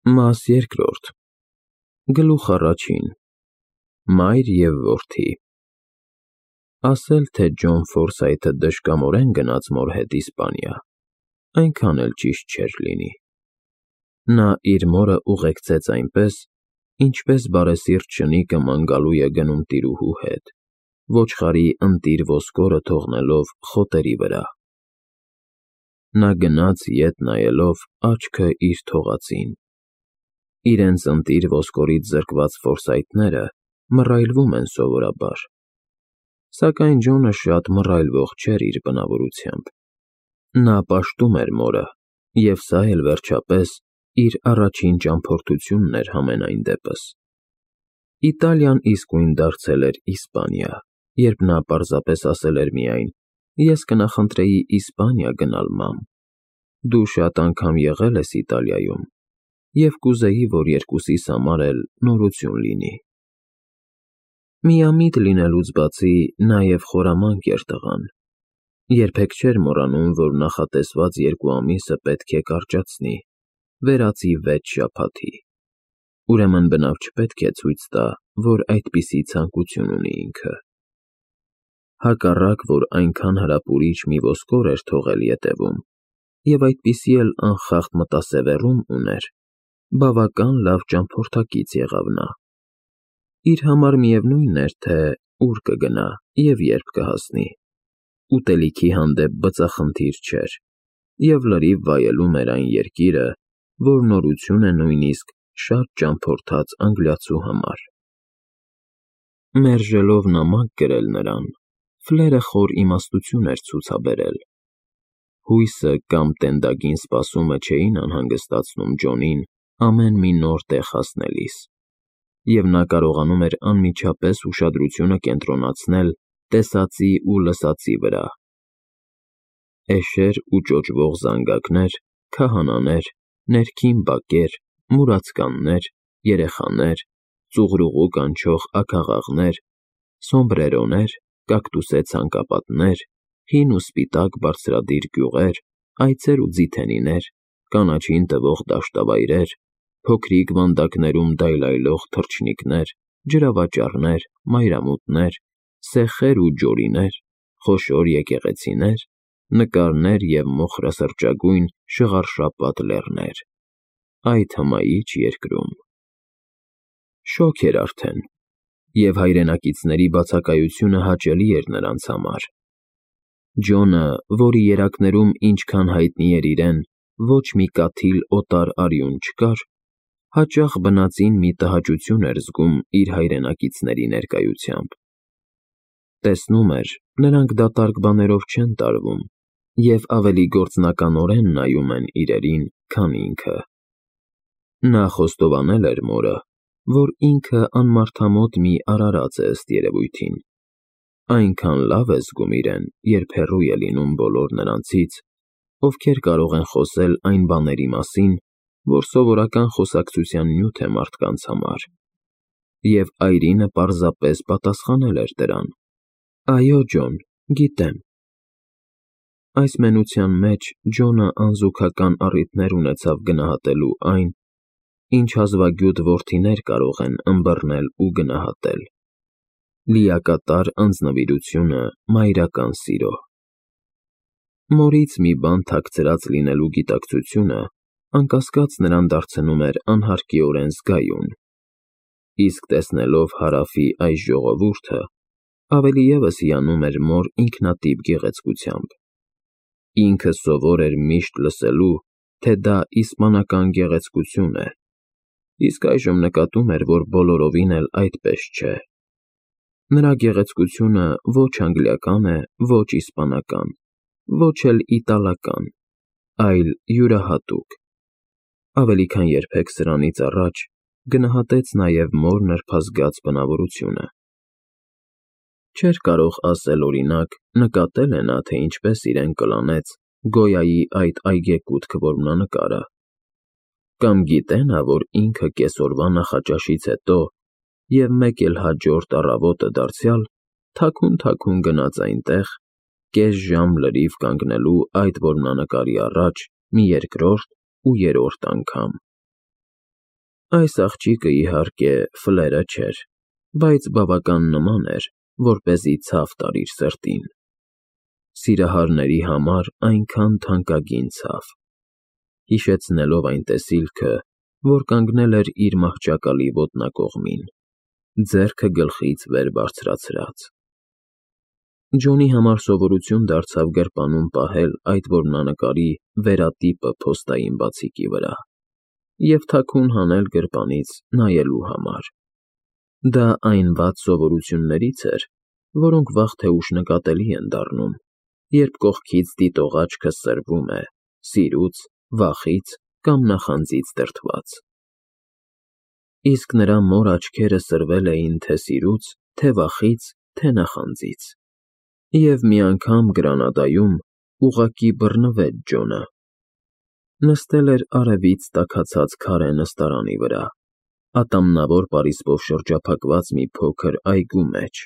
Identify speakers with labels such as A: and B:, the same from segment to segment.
A: Մաս երկրորդ Գլուխ առաջին Մայր և որդի Ասել, թե Ջոն Ֆորսայթը դժկամորեն գնաց մոր հետ Իսպանիա, այնքան էլ ճիշտ չէր լինի. նա իր մորը ուղեկցեց այնպես, ինչպես բարեսիրտ շնիկը ման գալու է գնում տիրուհու հետ, ոչխարի ընտիր ոսկորը թողնելով խոտերի վրա. նա գնաց ետ նայելով աչքը իր թողածին. իրենց ընտիր ոսկորից զրկված ֆորսայթները մռայլվում են սովորաբար, սակայն Ջոնը շատ մռայլվող չէր իր բնավորությամբ. նա պաշտում էր մորը, և սա էլ վերջապես իր առաջին ճամփորդությունն էր համենայն դեպս. Իտալիան իսկույն դարձել էր Իսպանիա, երբ նա պարզապես ասել էր միայն. ես կնախընտրեի Իսպանիա գնալ, մամ, դու շատ անգամ եղել ես Իտալիայում, և կուզեի, որ երկուսիս համար էլ նորություն լինի. Միամիտ լինելուց բացի նաև խորամանկ էր տղան, երբեք չէր մոռանում, որ նախատեսված 2 ամիսը պետք է կարճացնի, վերածի 6 շաբաթի, ուրեմն բնավ չպետք է ցույց տա, որ այդպիսի ցանկություն ունի ինքը. հակառակ, որ այնքան հրապուրիչ մի ոսկոր էր թողել ետևում, և այդպիսի էլ անխախտ մտասևեռում ուներ, բավական լավ ճամփորդակից եղավ նա. իր համար միևնույն էր, թե ուր կգնա և երբ կհասնի, ուտելիքի հանդեպ բծախնդիր չէր, և լրիվ վայելում էր այն երկիրը, որ նորություն է նույնիսկ շատ ճամփորդած անգլիացու համար. մերժելով նամակ գրել նրան, Ֆլերը խոր իմաստություն էր ցուցաբերել. հույսը կամ տենդագին սպասումը չէին անհանգստացնում Ջոնին ամեն մի նոր տեղ հասնելիս, և նա կարողանում էր անմիջապես ուշադրությունը կենտրոնացնել տեսածի ու լսածի վրա. էշեր ու ճոճվող զանգակներ, քահանաներ, ներքին բակեր, մուրացկաններ, երեխաներ, ծուղրուղու կանչող աքաղաղներ, սոմբրերոներ, կակտուսե ցանկապատներ, հին ու սպիտակ բարձրադիր գյուղեր, այծեր ու ձիթենիներ, կանաչին տվող դաշտավայրեր, փոքրիկ վանդակներում դայլայլող թռչնիկներ, ջրավաճառներ, մայրամուտներ, սեխեր ու ջորիներ, խոշոր եկեղեցիներ, նկարներ և մոխրասրճագույն շղարշապատ լեռներ, այդ հմայիչ երկրում. շոգ էր արդեն, և հայրենակիցների բացակայությունը հաճելի էր նրանց համար. Ջոնը, որի երակներում ինչքան հայտնի էր իրեն, ոչ մի կաթիլ օտար արյուն չկար, հաճախ բնածին մի տհաճություն էր զգում իր հայրենակիցների ներկայությամբ. տեսնում էր, նրանք դատարկ բաներով չեն տարվում և ավելի գործնականորեն նայում են իրերին, քան ինքը. նա խոստովանել էր մորը, որ ինքը անմարդամոտ մի արարած է ըստ երևույթին, այնքան լավ է զգում իրեն, երբ հեռու է լինում բոլոր նրանցից, ովքեր կարող են խոսել այն բաների մասին, որ սովորական խոսակցության նյութ է մարդկանց համար, և այրինը պարզապես պատասխանել էր դրան. այո, Ջոն, գիտեմ. այս մենության մեջ Ջոնը անզուգական առիթներ ունեցավ գնահատելու այն, ինչ հազվագյուտ որդիներ կարող են ըմբռնել ու գնահատել. լիակատար անձնվիրությունը մայրական սիրո. մորից մի բան թաքցրած լինելու գիտակցությունը անկասկած նրան դարձնում էր անհարկիորեն զգայուն, իսկ տեսնելով Հարավի այս ժողովուրդը, ավելի ևս հիանում էր մոր ինքնատիպ գեղեցկությամբ. ինքը սովոր էր միշտ լսելու, թե դա իսպանական գեղեցկություն է, իսկ այժմ նկատում էր, որ բոլորովին էլ այդպես չէ. նրա գեղեցկությունը ոչ անգլիական է, ոչ իսպանական, ոչ էլ իտալական, այլ յուրահատուկ. ավելի քան երբեք սրանից առաջ գնահատեց նաև մոր նրբազգաց բնավորությունը. չէր կարող ասել, օրինակ, նկատել է նա, թե ինչպես իրեն կլանեց Գոյայի այդ այգեկութ որմնանկարը, կամ գիտե նա, որ ինքը կեսօրվա նախաճաշից հետո և մեկ էլ հաջորդ առավոտը դարձյալ թաքուն գնաց այնտեղ, կես ժամ լրիվ կանգնելու այդ որմնանկարի առաջ մի երկրորդ ու երրորդ անգամ. Այս աղջիկը, իհարկե, ֆլերը չէր, բայց բավական նման էր, որպեսզի ցավ տար իր սրտին։ Սիրահարների համար այնքան թանկագին ցավ, հիշեցնելով այն տեսիլքը, որ կանգնել էր իր մահճակալի ոտնակողմին, ձեռքը գլխից վեր բարձրացրած։ Ջոնի համար սովորություն դարձավ գրպանում պահել այդ որմնանկարի վերատիպը փոստային բացիկի վրա և թաքուն հանել գրպանից նայելու համար։ Դա այն վատ սովորություններից էր, որոնք վաղ թե ուշ նկատելի են դառնում, երբ կողքից դիտող աչքը սրվում է սիրուց, վախից կամ նախանձից դրդված։ Իսկ նրա մոր աչքերը սրվել էին թե սիրուց, թե վախից, թե նախանձից։ Եվ մի անգամ Գրանադայում ուղղակի բռնվեց Ջոնը։ Նստել էր արևից տաքացած քարե նստարանի վրա, ատամնավոր պարիսպով շրջափակված մի փոքր այգու մեջ,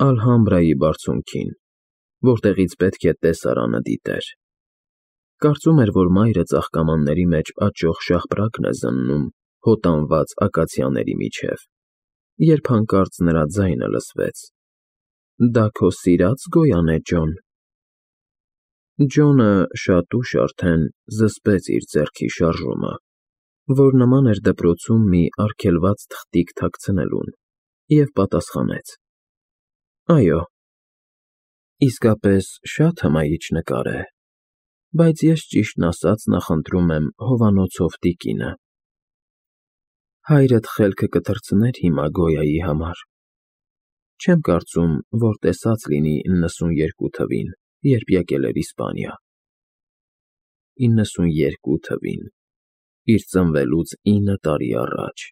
A: Ալհամբրայի բարձունքին, որտեղից պետք է տեսարանը դիտեր։ Կարծում էր, որ մայրը ծաղկամանների մեջ աճող շաղպրակն է զննում հոտանված ակացիաների միջև, երբ հանկարծ նրա ձայնը լսվեց. «Դա քո սիրած գոյա՞ն է, Ջոն»։ Ջոնը շատ ուշ արդեն զսպեց իր ձեռքի շարժումը, որ նման էր դպրոցում մի արգելված թղթիկ թաքցնելուն, և պատասխանեց. «Այո»։ Իսկապես շատ հմայիչ նկար է, բայց ես ճիշտն ասած նախընտրում եմ հովանոցով տիկինը։ Հայրդ խելքը կթռցներ հիմա Գոյայի համար։ Չեմ կարծում, որ տեսած լինի 92 թվին, երբ եկել էր Իսպանիա։ 92 թվին, իր ծնվելուց 9 տարի առաջ։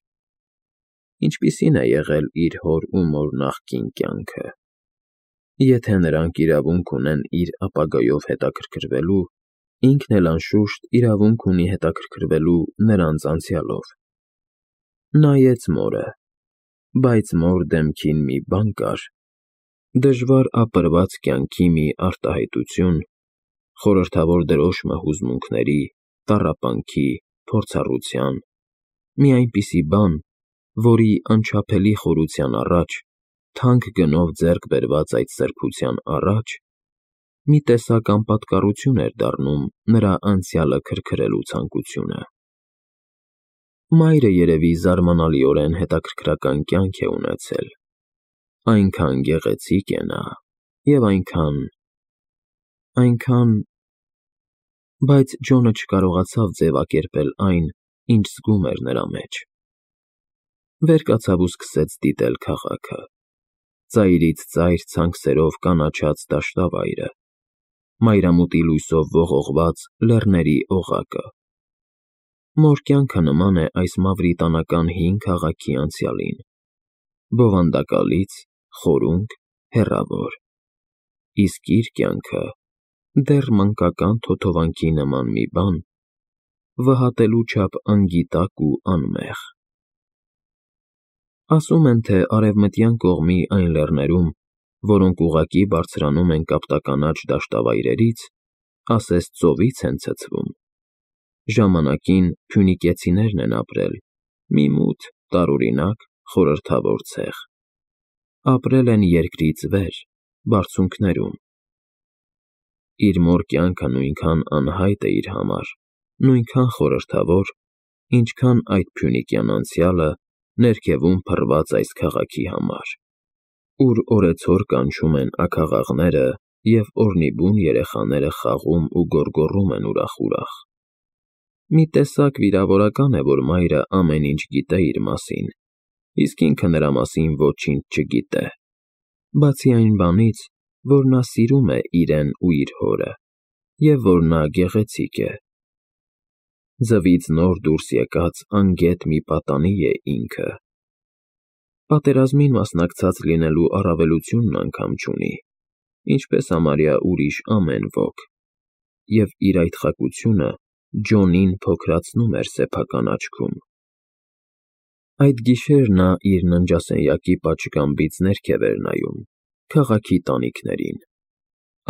A: Ինչպիսի՞ն է եղել իր հոր ու մոր նախկին կյանքը։ Եթե նրանք իրավունք ունեն իր ապագայով հետաքրքրվելու, ինքն էլ անշուշտ իրավունք ունի հետաքրքրվելու նրանց անցյալով։ Նայեց մորը, բայց մոր դեմքին մի բան կար, դժվար ապրված կյանքի մի արտահայտություն, խորհրդավոր դրոշմը հուզմունքների, տառապանքի, փորձառության, մի այնպիսի բան, որի անչափելի խորության առաջ, թանկ գնով ձեռք բերված այդ սրբության առաջ, մի տեսակ անպատկառություն էր դառնում նրա անցյալը քրքրելու ցանկությունը։ Մայրը երևի զարմանալիորեն հետաքրքրական կյանք է ունեցել։ Այնքան գեղեցիկ է նա, և այնքան… Բայց Ջոնը չկարողացավ ձևակերպել այն, ինչ զգում էր նրա մեջ։ Վեր կացավ ու սկսեց դիտել քաղաքը, ծայրից ծայր ցանքսերով կանաչած դաշտավայրը, մայրամուտի լույսով ողողված լեռների օղակը։ Մոր կյանքը նման է այս մավրիտանական հին քաղաքի անցյալին, բովանդակալից, խորունկ, հեռավոր, իսկ իր կյանքը դեռ մանկական թոթովանքի նման մի բան, վհատելու չափ անգիտակ ու անմեղ։ Ասում են, թե արևմտյան կողմի այն լեռներում, որոնք ուղղակի բարձրանում են կապտականաչ դաշտավայրերից, ասես ծովից են ցցվում, ժամանակին փյունիկեցիներն են ապրել մի մութ, տարօրինակ, խորհրդավոր ցեղ։ Ապրել են երկրից վեր, բարձունքներում։ Իր մոր կյանքը նույնքան անհայտ է իր համար, նույնքան խորհրդավոր, ինչքան այդ փյունիկյան անցյալը ներքևում փռված այս քաղաքի համար, ուր օրեցօր կանչում են աքաղաղները և օրնիբուն երեխաները խաղում ու գոռգոռում են ուրախ-ուրախ։ Մի տեսակ վիրավորական է, որ մայրը ամեն ինչ գիտե իր մասին, իսկ ինքը նրա մասին ոչինչ չգիտե, բացի այն բանից, որ նա սիրում է իրեն ու իր հորը, և որ նա գեղեցիկ է։ Ձվից նոր դուրս եկած անգետ մի պատանի է ինքը։ Պատերազմին մասնակցած լինելու առավելությունն անգամ չունի, ինչպես համարյա ուրիշ ամեն ոք, և իր այդ խակությունը Ջոնին փոքրացնում էր սեփական աչքում։ Այդ գիշեր նա իր ննջասենյակի պատշգամբից ներքև էր նայում, քաղաքի տանիքներին,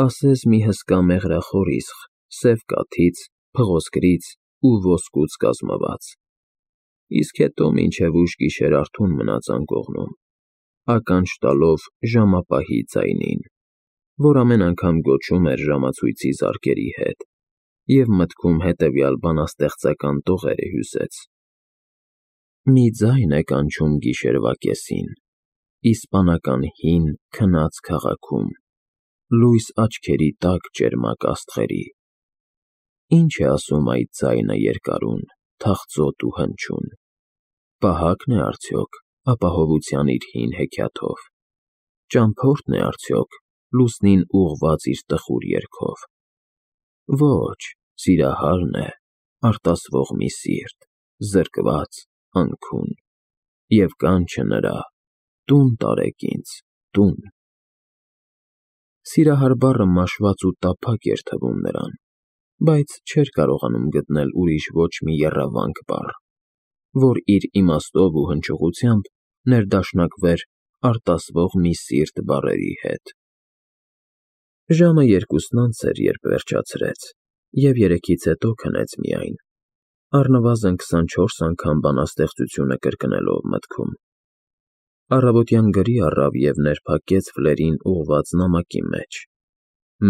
A: ասես մի հսկա մեղրախոր իսխ, սև կաթից, փղոսկրից ու ոսկուց կազմված։ իսկ հետո մինչև ուշ գիշեր արթուն մնաց անկողնում, ականջ տալով ժամապահի ձայնին, որ ամեն անգամ գոչում էր ժամացույցի զարկերի հետ, և մտքում հետևյալ բանաստեղծական տողերը հյուսեց. Մի ձայն է կանչում գիշերվա կեսին, իսպանական հին քնած քաղաքում, լույս աչքերի տակ ճերմակ աստղերի. Ինչ է ասում այդ ձայնը երկարուն, թախծոտ ու հնչյուն, պահա՞կն է արդյոք ապահովության իր հին հեքիաթով, ճամփորդն է արդյոք լուսնին ուղղված իր տխուր երգով, ոչ, սիրահարն է, արտասվող մի սիրտ, զրկված, անքուն, և կանչը նրա. տուն տարեք ինձ, տուն։ Սիրահար բառը մաշված ու տափակ էր թվում նրան, բայց չէր կարողանում գտնել ուրիշ ոչ մի եռավանք բառ, որ իր իմաստով ու հնչողությամբ ներդաշնակվեր արտասվող մի սիրտ բառերի հետ։ Ժամը 2-ն անց էր, երբ վերջացրեց, և 3-ից հետո քնեց միայն, առնվազն 24 անգամ բանաստեղծությունը կրկնելով մտքում։ Առավոտյան գրի առավ և ներփակեց ֆլերին ուղղված նամակի մեջ,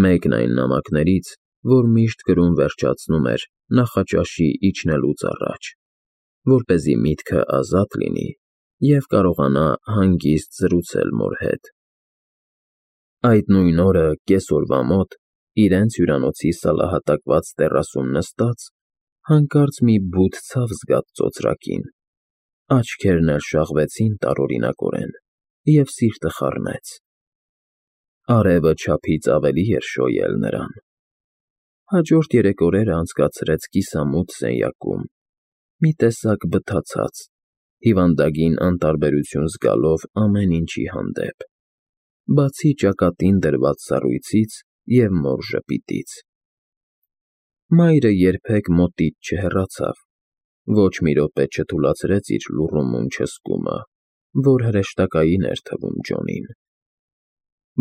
A: մեկն այն նամակներից, որ միշտ գրում վերջացնում էր նախաճաշի իջնելուց առաջ, որպեսզի միտքը ազատ լինի և կարողանա հանգիստ զրուցել մոր հետ։ Այդ նույն օրը կեսօրվա մոտ, իրենց հյուրանոցի սալահատակված տեռասում նստած, հանկարծ մի բութ ցավ զգաց ծոծրակին, աչքերն էլ շաղվեցին տարօրինակորեն, և սիրտը խառնեց։ Արևը չափից ավելի էր շոյել նրան։ Հաջորդ 3 օրերը անցկացրեց կիսամութ սենյակում, մի տեսակ բթացած, հիվանդագին անտարբերություն զգալով ամեն ինչի հանդեպ, բացի ճակատին դրված սառույցից և մոր ժպիտից։ Մայրը երբեք մոտից չհեռացավ, ոչ մի րոպե չթուլացրեց իր լուռումուն չսկումը, որ հրեշտակային էր թվում Ջոնին։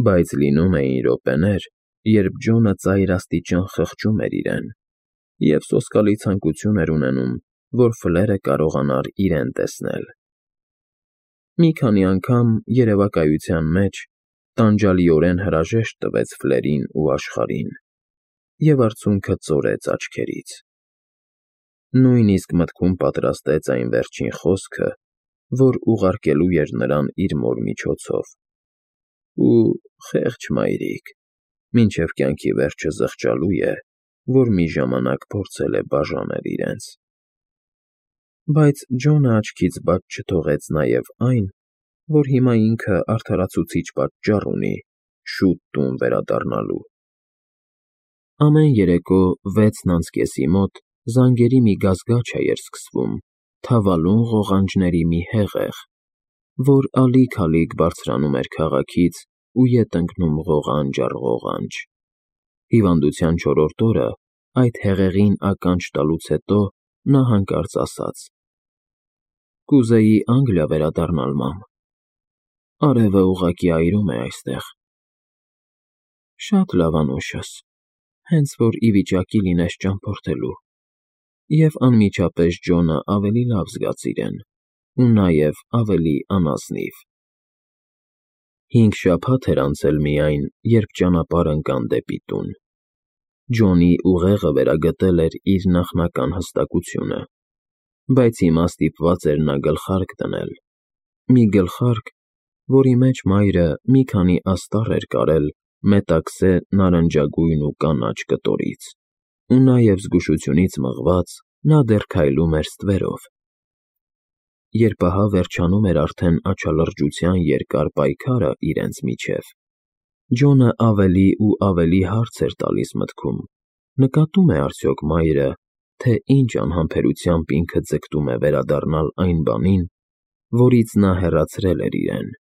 A: Բայց լինում էին րոպեներ, երբ Ջոնը ծայրաստիճան խղճում էր իրեն, և սոսկալի ցանկություն էր ունենում, որ Ֆլերը կարողանար իրեն տեսնել։ Մի քանի անգամ երևակայության մեջ տանջալիորեն հրաժեշտ տվեց Ֆլերին ու աշխարհին, և արցունքը ծորեց աչքերից։ Նույնիսկ մտքում պատրաստեց այն վերջին խոսքը, որ ուղարկելու էր նրան իր մոր միջոցով. ու խեղճ մայրիկ, մինչև կյանքի վերջը զղջալու է, որ մի ժամանակ փորձել է բաժանել իրենց։ Բայց Ջոնը աչքից բաց չթողեց նաև այն, որ հիմա ինքը արդարացուցիչ պատճառ ունի շուտ տուն վերադառնալու։ Ամեն երեկո 6:30 մոտ զանգերի մի գազգաչ էր սկսվում թավալուն ղողանջների մի հեղեղ, որ ալիք-ալիք բարձրանում էր քաղաքից ու ետ ընկնում ղողանջ առ ղողանջ։ Հիվանդության 4-րդ օրը այդ հեղեղին ականջ տալուց հետո նա հանկարծ ասաց. «Կուզեի Անգլիա վերադառնալ, մամ, արևը ուղղակի այրում է այստեղ»։ Շատ լավ, անուշս, հենց որ ի վիճակի լինես ճամփորդելու։ Եվ անմիջապես Ջոնը ավելի լավ զգաց իրեն, ու նաև ավելի անազնիվ։ 5 շաբաթ էր անցել միայն, երբ ճանապարհ ընկան դեպի տուն։ Ջոնի ուղեղը վերագտել էր իր նախնական հստակությունը, բայց հիմա ստիպված էր նա գլխարկ դնել, մի գլխարկ, որի մեջ մայրը մի քանի աստառ էր կարել մետաքսե նարնջագույն ու կանաչ կտորից, ու նաև զգուշությունից մղված նա դեռ քայլում էր ստվերով։ Երբ ահա վերջանում էր արդեն աչալրջության երկար պայքարը իրենց միջև, Ջոնը ավելի ու ավելի հարց էր տալիս մտքում. նկատում է արդյոք մայրը, թե ինչ անհամբերությամբ ինքը ձգտում է վերադառնալ այն բանին, որից նա հեռացրել էր իրեն։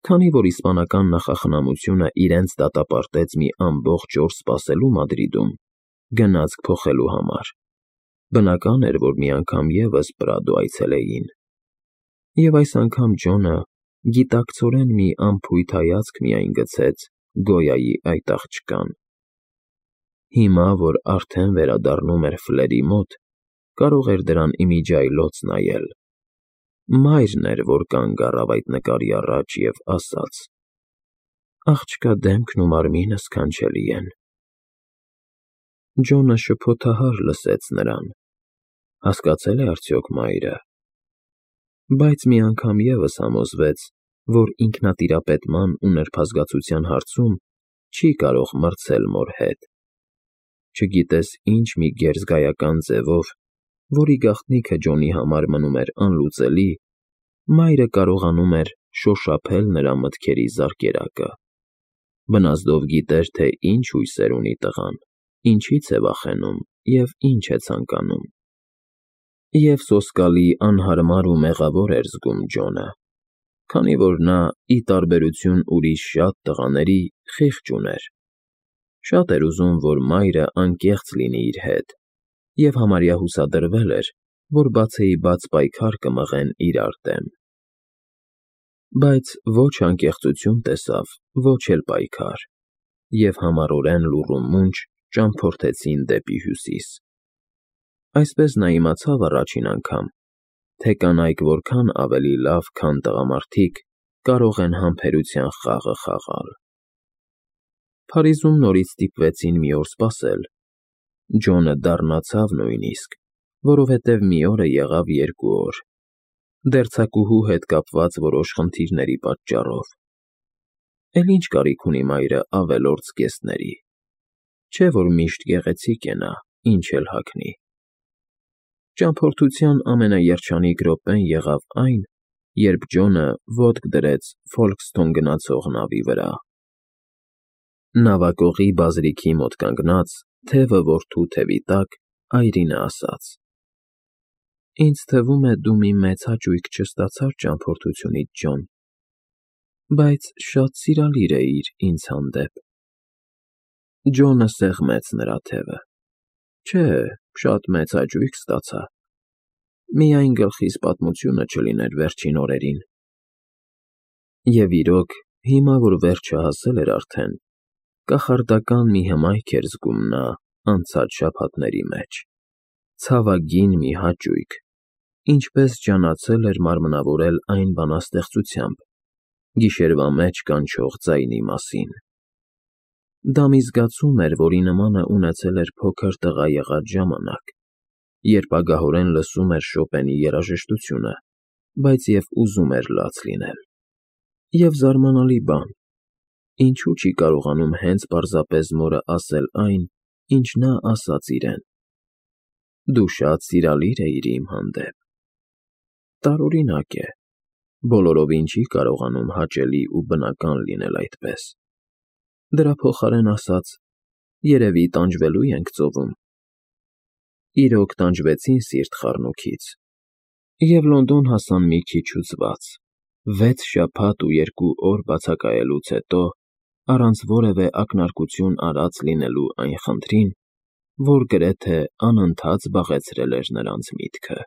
A: Քանի որ իսպանական նախախնամությունը իրենց դատապարտեց մի ամբողջ օր սպասելու Մադրիդում, գնացք փոխելու համար, բնական էր, որ մի անգամ ևս Պրադո այցելեին։ Եվ այս անգամ Ջոնը գիտակցորեն մի անփույթ հայացք միայն գցեց Գոյայի այդ աղջկան։ Հիմա, որ արդեն վերադառնում էր Ֆլերի մոտ, կարող էր դրան ի միջի այլոց նայել։ Մայրն էր, որ կանգ առավ այդ նկարի առաջ և ասաց. «Աղջկա դեմքն ու մարմինը սքանչելի են»։ Ջոնը շփոթահար լսեց նրան. հասկացել է արդյոք մայրը։ Բայց մի անգամ ևս համոզվեց, որ ինքնատիրապետման ու նրբազգացության հարցում չի կարող մրցել մոր հետ։ Չգիտես ինչ մի գերզգայական ձևով, որի գաղտնիքը Ջոնի համար մնում էր անլուծելի, մայրը կարողանում էր շոշափել նրա մտքերի զարկերակը։ Բնազդով գիտեր, թե ինչ հույսեր ունի տղան, ինչից է վախենում և ինչ է ցանկանում։ Եվ սոսկալի, անհարմար ու մեղավոր էր զգում Ջոնը, քանի որ նա, ի տարբերություն ուրիշ շատ տղաների, խիղճ ուներ։ Շատ էր ուզում, որ մայրը անկեղծ լինի իր հետ, և համարյա հուսադրվել էր, որ բացեիբաց պայքար կմղեն իրար դեմ։ Բայց ոչ անկեղծություն տեսավ, ոչ էլ պայքար, և համառորեն լուռ ու մունջ ճամփորդեցին դեպի հյուսիս։ Այսպես նա իմացավ առաջին անգամ, թե կանայք որքան ավելի լավ, քան տղամարդիկ, կարող են համբերության խաղը խաղալ։ Փարիզում նորից ստիպվեցին մի օր սպասել։ Ջոնը դառնացավ նույնիսկ, որովհետև մի օրը եղավ 2 օր, դերձակուհու հետ կապված որոշ խնդիրների պատճառով։ Էլ ինչ կարիք ունի մայրը ավելորդ զգեստների։ Չէ՞ որ միշտ գեղեցիկ է նա, ինչ էլ հագնի։ Ճամփորդության ամենաերջանիկ րոպեն եղավ այն, երբ Ջոնը ոտք դրեց Ֆոլքսթոն գնացող նավի վրա։ Նավակողի բազրիքի մոտ կանգնած, թևը որդու թևի տակ, այրինը ասաց. «Ինձ թվում է, դու մի մեծ հաճույք չստացար ճամփորդությունից, Ջոն, բայց շատ սիրալիր էիր ինձ հանդեպ»։ Ջոնը սեղմեց նրա թևը. «Չէ, շատ մեծ հաճույք ստացա, միայն գլխիս պատմությունը չլիներ վերջին օրերին»։ Եվ իրոք, հիմա որ վերջը հասել էր արդեն, կախարդական մի հմայք էր զգում նա անցած շաբաթների մեջ, ցավագին մի հաճույք, ինչպես ջանացել էր մարմնավորել այն բանաստեղծությամբ, գիշերվա մեջ կանչող ձայնի մասին։ Դա մի զգացում էր, որի նմանը ունեցել էր փոքր տղա եղած ժամանակ, երբ ագահորեն լսում էր Շոպենի երաժշտությունը, բայց և ուզում էր լաց լինել։ Եվ զարմանալի բան, ինչու չի կարողանում հենց պարզապես մորը ասել այն, ինչ նա ասաց իրեն. «Դու շատ սիրալիր էիր իմ հանդեպ»։ Տարօրինակ է, բոլորովին չի կարողանում հաճելի ու բնական լինել այդպես։ Դրա փոխարեն ասաց. «Երևի տանջվելու ենք ծովում»։ Իրոք տանջվեցին սիրտ խառնուրդից, և Լոնդոն հասան մի քիչ հուզված, 6 շաբաթ ու 2 օր բացակայելուց հետո, առանց որևէ ակնարկություն արած լինելու այն խնդրին, որ գրեթե անընդհատ զբաղեցրել էր նրանց միտքը։